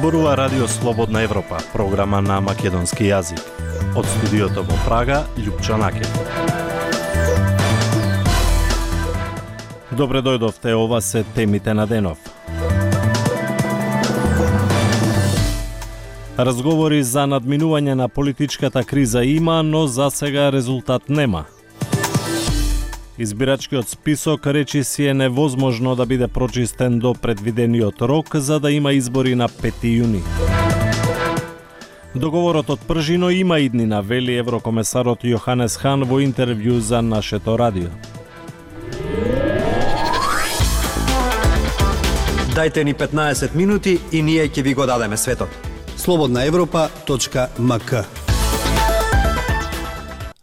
Зборува Радио Слободна Европа, програма на македонски јазик. Од студиото во Прага, Љупчо Накев. Добре дојдовте, ова се темите на денов. Разговори за надминување на политичката криза има, но за сега резултат нема. Избирачкиот список речи си е невозможно да биде прочистен до предвидениот рок за да има избори на 5 јуни. Договорот од пржино има иднина, вели еврокомесарот Јоханес Хан во интервју за нашето радио. Дајте ни 15 минути и ние ќе ви го дадеме светот. slobodnaevropa.mk.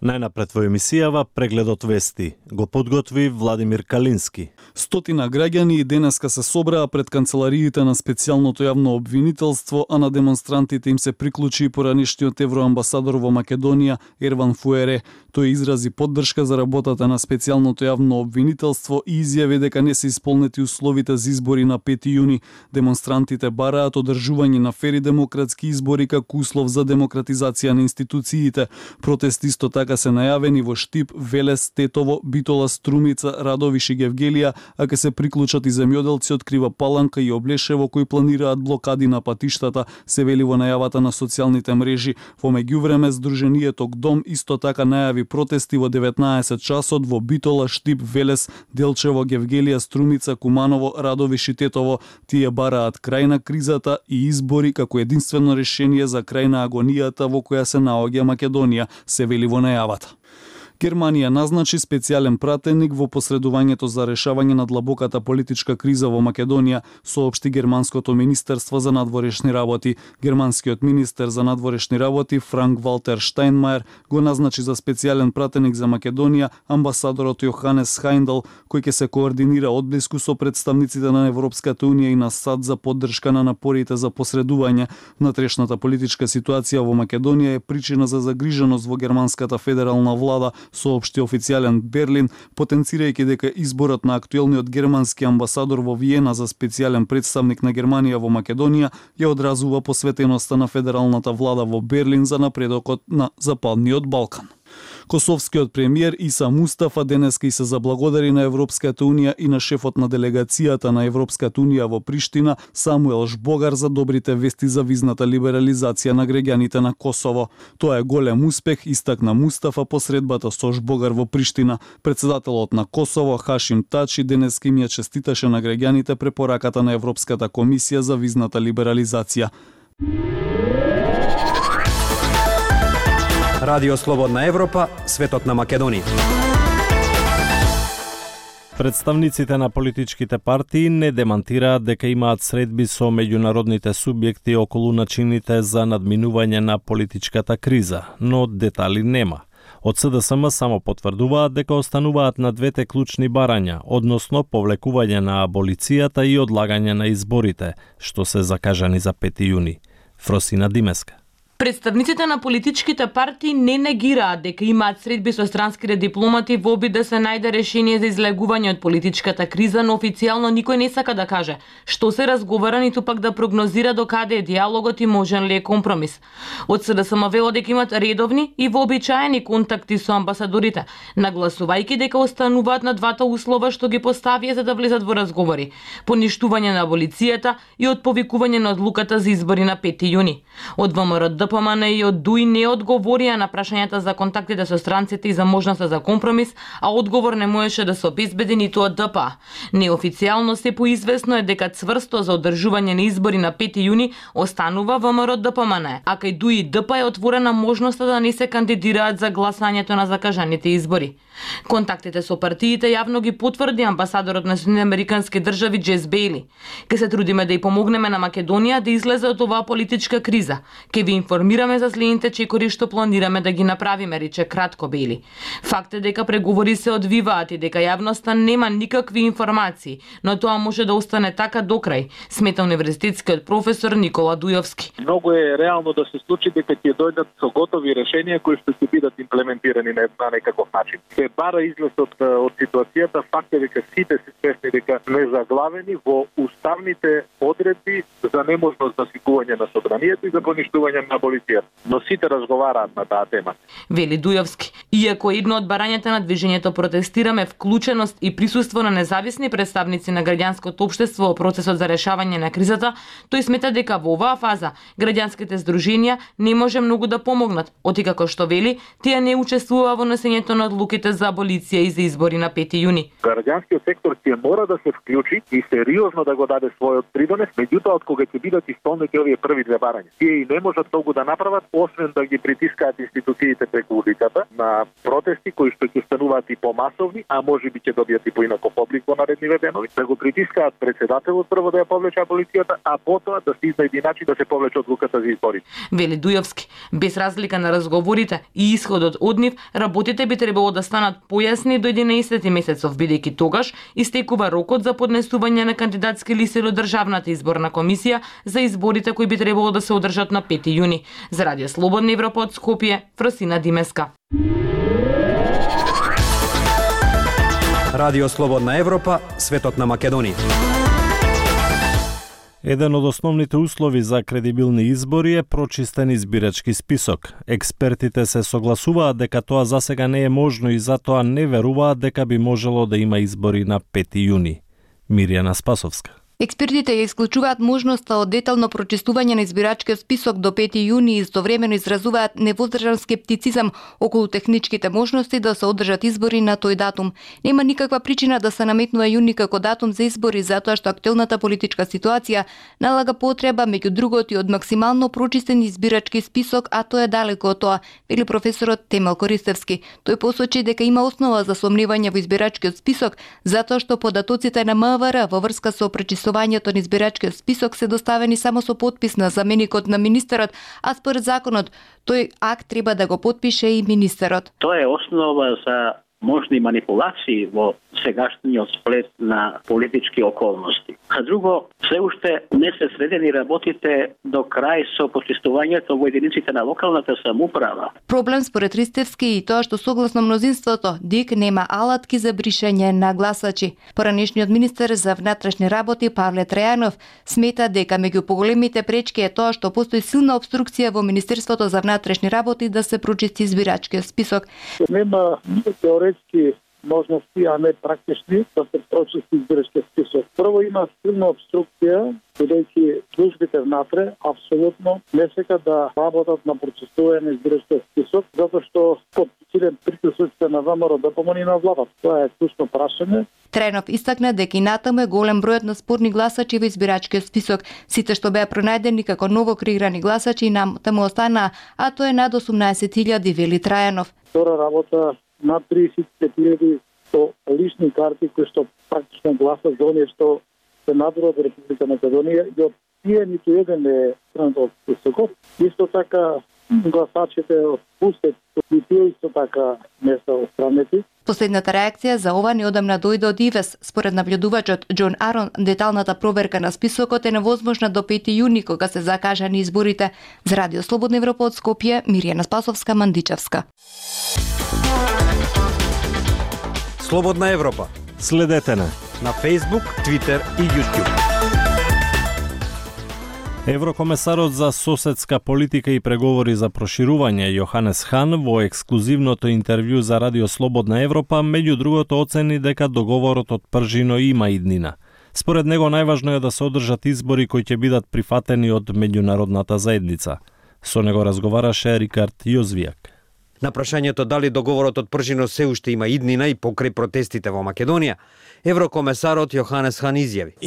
Најнапред во емисијава прегледот вести го подготви Владимир Калински. Стотина граѓани и денеска се собраа пред канцелариите на специјалното јавно обвинителство, а на демонстрантите им се приклучи и поранишниот евроамбасадор во Македонија Ерван Фуере. Тој изрази поддршка за работата на специјалното јавно обвинителство и изјави дека не се исполнети условите за избори на 5 јуни. Демонстрантите бараат одржување на фери демократски избори како услов за демократизација на институциите. Протести исто така се најавени во Штип, Велес, Тетово, Битола, Струмица, Радовиш и Гевгелија, а ке се приклучат и земјоделци од Крива Паланка и Облешево кои планираат блокади на патиштата, се вели во најавата на социјалните мрежи. Во меѓувреме, Сдруженијето ГДОМ исто така најави протести во 19 часот во Битола, Штип, Велес, Делчево, Гевгелија, Струмица, Куманово, Радовиш и Тетово. Тие бараат крај на кризата и избори како единствено решение за крај на агонијата во која се наоѓа Македонија, се вели во најавата. Германија назначи специјален пратеник во посредувањето за решавање на длабоката политичка криза во Македонија, соопшти германското министерство за надворешни работи. Германскиот министер за надворешни работи Франк Валтер Штајнмајер го назначи за специјален пратеник за Македонија амбасадорот Јоханес Хајндел, кој ќе се координира одблиску со представниците на Европската унија и на САД за поддршка на напорите за посредување. Внатрешната политичка ситуација во Македонија е причина за загриженост во германската федерална влада, соопшти официјален Берлин, потенцирајќи дека изборот на актуелниот германски амбасадор во Виена за специјален представник на Германија во Македонија ја одразува посветеноста на федералната влада во Берлин за напредокот на Западниот Балкан. Косовскиот премиер Иса Мустафа денеска и се заблагодари на Европската унија и на шефот на делегацијата на Европската унија во Приштина Самуел Жбогар за добрите вести за визната либерализација на граѓаните на Косово. Тоа е голем успех, истакна Мустафа по средбата со Жбогар во Приштина. Претседателот на Косово Хашим Тачи денеска им ја честиташе на граѓаните препораката на Европската комисија за визната либерализација. Радио Слободна Европа, светот на Македонија. Представниците на политичките партии не демантираат дека имаат средби со меѓународните субјекти околу начините за надминување на политичката криза, но детали нема. Од СДСМ само потврдуваат дека остануваат на двете клучни барања, односно повлекување на аболицијата и одлагање на изборите, што се закажани за 5 јуни. Фросина Димеска. Представниците на политичките партии не негираат дека имаат средби со странските дипломати во обид да се најде решение за излегување од политичката криза, но официјално никој не сака да каже што се разговара, ниту пак да прогнозира докаде е диалогот и можен ли е компромис. Од СДСМ велат дека имат редовни и вообичаени контакти со амбасадорите, нагласувајќи дека остануваат на двата услова што ги поставија за да влезат во разговори: поништување на аболицијата и отповикување на одлуката за избори на 5 јуни. Од ВМРО ДПМН и од ДУИ не одговорија на прашањата за контактите со странците и за можноста за компромис, а одговор не можеше да се обезбеди ниту од ДПА. Неофицијално се поизвестно е дека цврсто за одржување на избори на 5 јуни останува ВМРО ДПМН, а кај ДУИ и ДПА е отворена можноста да не се кандидираат за гласањето на закажаните избори. Контактите со партиите јавно ги потврди амбасадорот на Соединените Американски држави Джес Бејли. Ке се трудиме да ја помогнеме на Македонија да излезе од оваа политичка криза. Ке ви информираме информираме за следните чекори што планираме да ги направиме, рече кратко Бели. Факт е дека преговори се одвиваат и дека јавноста нема никакви информации, но тоа може да остане така до крај, смета универзитетскиот професор Никола Дујовски. Многу е реално да се случи дека ќе дојдат со готови решенија кои што ќе бидат имплементирани на некаков начин. Се бара излез од ситуацијата, факт е дека сите се свесни дека не заглавени во уставните одредби за неможност за свикување на собранието и за поништување на аболицијата. Но сите разговараат на таа тема. Вели Дујовски. Иако едно од барањата на движењето Протестираме вклученост и присуство на независни представници на граѓанското општество во процесот за решавање на кризата, тој смета дека во оваа фаза граѓанските здруженија не може многу да помогнат, оти како што вели, тие не учествува во носењето на одлуките за аболиција и за избори на 5 јуни. Граѓанскиот сектор ќе мора да се вклучи и сериозно да го даде својот придонес, меѓутоа од кога ќе бидат исполнети овие први две барања. Тие и не можат многу да направат, освен да ги притискаат институциите преку улицата на протести кои што ќе стануваат и помасовни, а можеби ќе добијат и поинаков облик во наредниве денови, да го притискаат председателот прво да ја повлече аболицијата, а потоа да се изнајди начин да се повлече одлуката за избори. Вели Дујовски, без разлика на разговорите и исходот од нив, работите би требало да станат појасни до 11 месецов, бидејќи тогаш истекува рокот за поднесување на кандидатски листи до Државната изборна комисија за изборите кои би требало да се одржат на 5 јуни. За Радио Слободна Европа од Скопје, Фросина Димеска. Радио Слободна Европа, светот на Македонија. Еден од основните услови за кредибилни избори е прочистен избирачки список. Експертите се согласуваат дека тоа засега не е можно и затоа не веруваат дека би можело да има избори на 5 јуни. Мирјана Спасовска. Експертите ја исклучуваат можноста од детално прочистување на избирачкиот список до 5 јуни и истовремено изразуваат невоздржан скептицизам околу техничките можности да се одржат избори на тој датум. Нема никаква причина да се наметнува јуни како датум за избори, затоа што актуелната политичка ситуација налага потреба меѓу другото и од максимално прочистен избирачки список, а тоа е далеко од тоа, вели професорот Темел Користевски. Тој посочи дека има основа за сомневање во избирачкиот список, затоа што податоците на МВР во врска со прочистувањето на избирачкиот список се доставени само со подпис на заменикот на министерот, а според законот тој акт треба да го потпише и министерот. Тоа е основа за можни манипулации во сегашниот сплет на политички околности. А друго, се уште не се средени работите до крај со почистувањето во единиците на локалната самоуправа. Проблем според Ристевски и тоа што согласно мнозинството ДИК нема алатки за бришење на гласачи. Поранешниот министер за внатрешни работи Павле Трајанов смета дека меѓу поголемите пречки е тоа што постои силна обструкција во Министерството за внатрешни работи да се прочисти избирачкиот список. Нема теоретски можности, а не практични, да се прочисти избирачкиот список. Прво има силна обструкција, бидејќи службите внатре апсолутно не сакаат да работат на прочистување на избирачкиот список, затоа што под силен притисоците на ВМРО да помони на владата. Тоа е клучно прашање. Трајанов истакна дека и натаму е голем бројот на спорни гласачи во избирачкиот список. Сите што беа пронајдени како ново креирани гласачи таму останаа, а тоа е над 18.000, вели Трајанов. Втора работа над 35.000 со лични карти кои што практично гласат за оние што се надвор од Република Македонија и од тие ниту еден е странат од списокот. Исто така гласачите од Пустет и тие исто така не се отстранети. Последната реакција за ова неодамна дојде од ИВЕС. Според наблюдувачот Џон Арон, деталната проверка на списокот е невозможна до 5 јуни кога се закажани изборите. За Радио Слободна Европа од Скопје, Мирјана Спасовска, Мандичевска. Слободна Европа. Следете на Facebook, Twitter и YouTube. Еврокомесарот за соседска политика и преговори за проширување Јоханес Хан во ексклузивното интервју за Радио Слободна Европа меѓу другото оцени дека договорот од пржино има иднина. Според него најважно е да се одржат избори кои ќе бидат прифатени од меѓународната заедница. Со него разговараше Рикард Јозвијак. На прашањето дали договорот од пржино се уште има иднина и покрај протестите во Македонија, еврокомесарот Јоханес Хан изјави: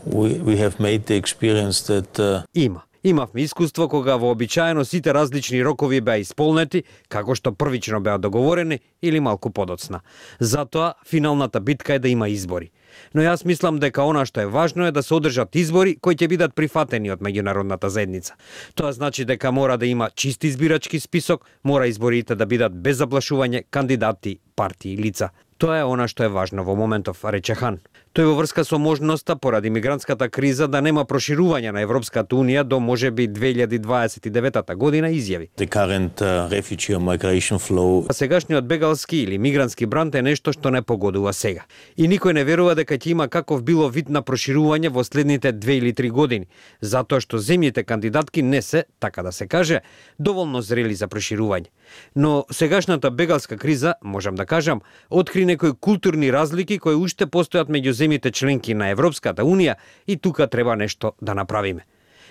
We have made the experience that има. Имавме искуство кога вообичаено сите различни рокови беа исполнети, како што првично беа договорени или малку подоцна. Затоа, финалната битка е да има избори. Но јас мислам дека она што е важно е да се одржат избори кои ќе бидат прифатени од меѓународната заедница. Тоа значи дека мора да има чист избирачки список, мора изборите да бидат без заплашување кандидати, партии и лица. Тоа е она што е важно во моментов, рече Хан. Тој во врска со можноста поради мигрантската криза да нема проширување на Европската унија до можеби 2029 година изјави. The current refugee migration flow. Сегашниот бегалски или мигрантски бранд е нешто што не погодува сега. И никој не верува дека ќе има каков било вид на проширување во следните 2 или 3 години, затоа што земјите кандидатки не се, така да се каже, доволно зрели за проширување. Но сегашната бегалска криза, можам да кажам, откри некои културни разлики кои уште постојат меѓу земјите членки на Европската унија и тука треба нешто да направиме.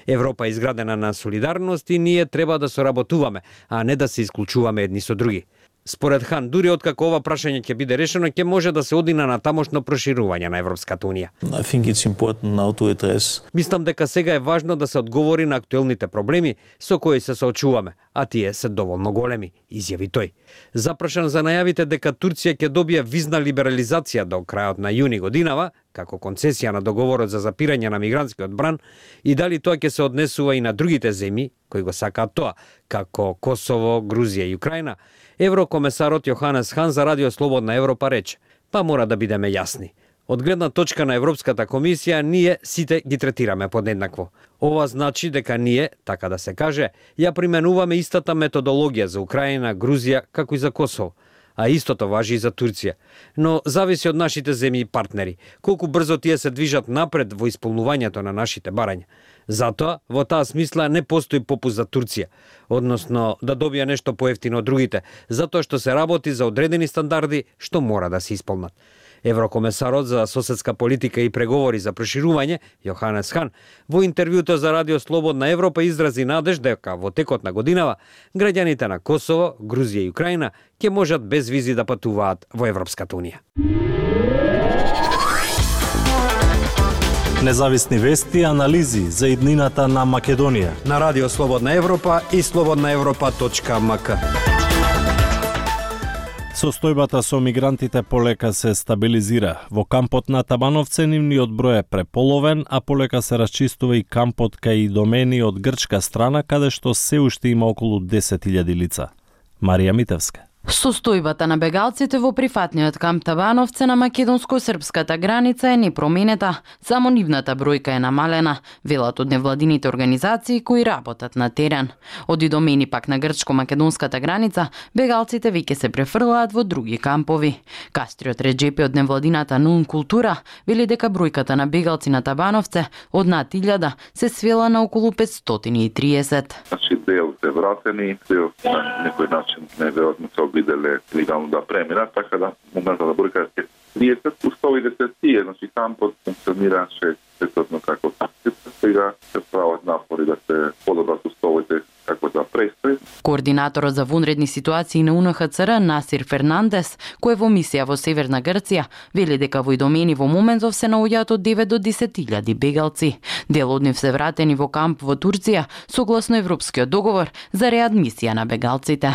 Европа е изградена на солидарност и ние треба да соработуваме, а не да се исклучуваме едни со други. Според Хан, дури откако ова прашање ќе биде решено, ќе може да се оди на тамошно проширување на Европската унија. I think it's important now to address. Мислам дека сега е важно да се одговори на актуелните проблеми со кои се соочуваме, а тие се доволно големи, изјави тој. Запрашан за најавите дека Турција ќе добие визна либерализација до крајот на јуни годинава, како концесија на договорот за запирање на мигрантскиот бран, и дали тоа ќе се однесува и на другите земји кои го сакаат тоа, како Косово, Грузија и Украина, еврокомесарот Јоханес Хан за Радио Слободна Европа рече: па мора да бидеме јасни. Од гледна точка на Европската комисија, ние сите ги третираме подеднакво. Ова значи дека ние, така да се каже, ја применуваме истата методологија за Украина, Грузија, како и за Косово. А истото важи и за Турција. Но зависи од нашите земји и партнери, колку брзо тие се движат напред во исполнувањето на нашите барања. Затоа, во таа смисла не постои попуст за Турција, односно да добие нешто поевтино од другите, затоа што се работи за одредени стандарди што мора да се исполнат. Еврокомесарот за соседска политика и преговори за проширување, Јоханес Хан, во интервјуто за Радио Слободна Европа изрази надеж дека во текот на годинава граѓаните на Косово, Грузија и Украина ќе можат без визи да патуваат во Европската унија. Независни вести и анализи за иднината на Македонија На Радио Слободна Европа и slobodnaevropa.mk. Состојбата со мигрантите полека се стабилизира. Во кампот на Табановце нивниот број е преполовен, а полека се расчистува и кампот кај Идомени од грчка страна, каде што се уште има околу 10.000 лица. Марија Митевска. Состојбата на бегалците во прифатниот камп Табановце на македонско-српската граница е непроминета, само нивната бројка е намалена, велат од невладините организации кои работат на терен. Од Идомени пак на грчко-македонската граница, бегалците веќе се префрлаат во други кампови. Кастриот Реджепи од невладината Нун Култура вели дека бројката на бегалци на Табановце од над 1000 се свела на околу 530. Значи дел се вратени, дел на некој начин неверојатно се обиделе легално да преминат, така да моментот на бројка е 30, уставите се тие, значи кампот функционираше сетотно како сега се прават напори да се подобрат уставите како да престои. Координаторот за вонредни ситуации на УНХЦР Насир Фернандес, кој е во мисија во Северна Грција, вели дека во Идомени во моментов се наоѓаат од 9 до 10.000 бегалци. Дел од нив се вратени во камп во Турција, согласно Европскиот договор за реадмисија на бегалците.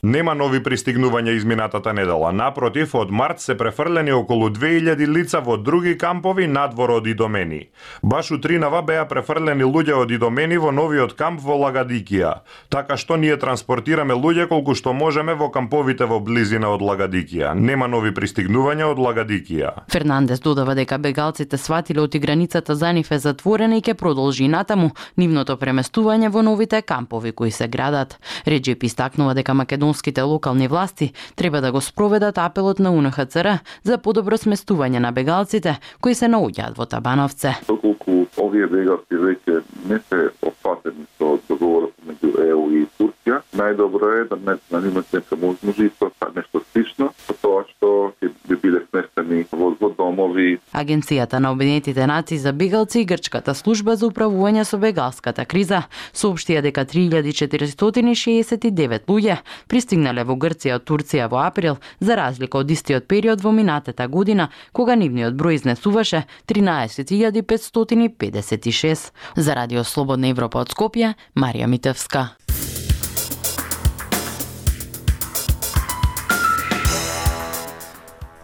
Нема нови пристигнувања изминатата недела. Напротив, од март се префрлени околу 2000 лица во други кампови надвор од Идомени. Баш утринава беа префрлени луѓе од Идомени во новиот камп во Лагадикија. Така што ние транспортираме луѓе колку што можеме во камповите во близина од Лагадикија. Нема нови пристигнувања од Лагадикија. Фернандес додава дека бегалците сватиле оти границата за нив е затворена и ќе продолжи натаму нивното преместување во новите кампови кои се градат. Реджеп истакнува дека македонските локални власти треба да го спроведат апелот на УНХЦР за подобро сместување на бегалците кои се наоѓаат во Табановце. Доколку овие бегалци веќе не се опфатени со договорот меѓу ЕУ и Турција, најдобро е да не имат нека можности со нешто слично, со тоа што ќе би биле сместени во домови домови. Агенцијата на Обединетите нации за бегалци и Грчката служба за управување со бегалската криза соопштија дека 3469 луѓе пристигнале во Грција од Турција во април, за разлика од истиот период во минатата година, кога нивниот број изнесуваше 13556. За Радио Слободна Европа од Скопје, Марија Митевска.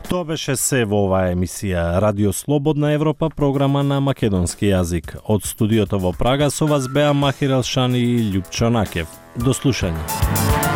Тоа беше се во оваа емисија Радио Слободна Европа, програма на македонски јазик. Од студиото во Прага со вас беа Махир Елшани и Љупчо Накев. До слушање.